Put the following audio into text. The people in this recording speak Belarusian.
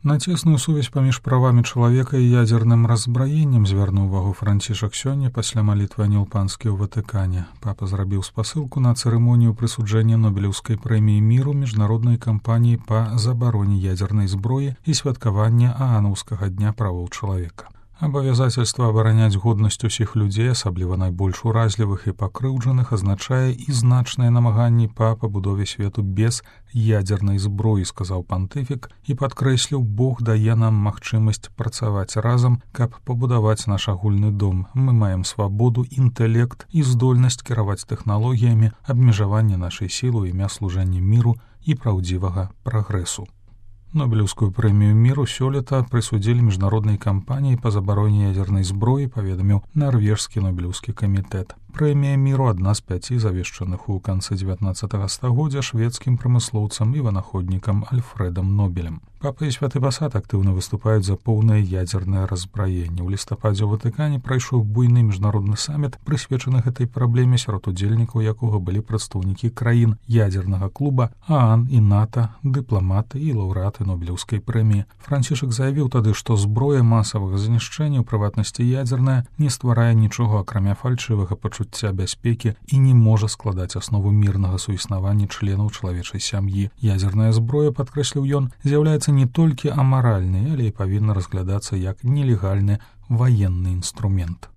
На цесную сувязь паміж правамі чалавека і ядзерным разбраеннем звярнуў увагу Францішак сёння пасля малітвы Анёл Панскі ў Ватыкане. Папа зрабіў спасылку на цырымонію прысуджэння Нобелеўскай прэміі міру міжнароднай кампаніі па забароне ядзернай зброі і святкавання Аанаўскага дня правоў чалавека. Абавязательства абараняць годнасць усіх людзей, асабліва найбольш уразлівых і пакрыўджаных, азначае і значныя намаганні па пабудове свету без ядзернай зброі, сказаў пантыфік і падкрэсліў, Бог дае нам магчымасць працаваць разам, каб пабудаваць наш агульны дом. Мы маем свабоду, інтэлект і здольнасць кіраваць тэхналогіямі, абмежаванне нашай сілы ў імя служэння міру і праўдзівага прагрэсу. Нобелеўскую прэмію міру сёлета прысудзілі міжнароднай кампаніі па забароне ядзернай зброі, паведаміў нарвежскі Нобелеўскі камітэт. Прэмія міру адна з 5 завешчаных у канцы 19 стагоддзя шведскім прамыслоўцам і вынаходнікам Альфрэдам Нобелем. Папа і святы пасад актыўна выступаюць за поўнае ядзернае разбраенне. У лістападзе ў Ватыкане прайшоў буйны міжнародны саміт, прысвечаны гэтай праблеме, сярод удзельнікаў якога былі прадстаўнікі краін ядзернага клуба, ААН і НАТО, дыпламаты і лаўрэаты Нобелеўскай прэміі. Францішак заявіў тады, што зброя масавага знішчэння, у прыватнасці ядзерная, не стварае нічога, акрамя фальшывага пачуцця бяспекі і не можа складаць аснову мірнага суіснавання членаў чалавечай сям'і. Ядзерная зброя, падкрэсліў ён, з'яўляецца не толькі амаральнай, але і павінна разглядацца як нелегальны ваенны інструмент.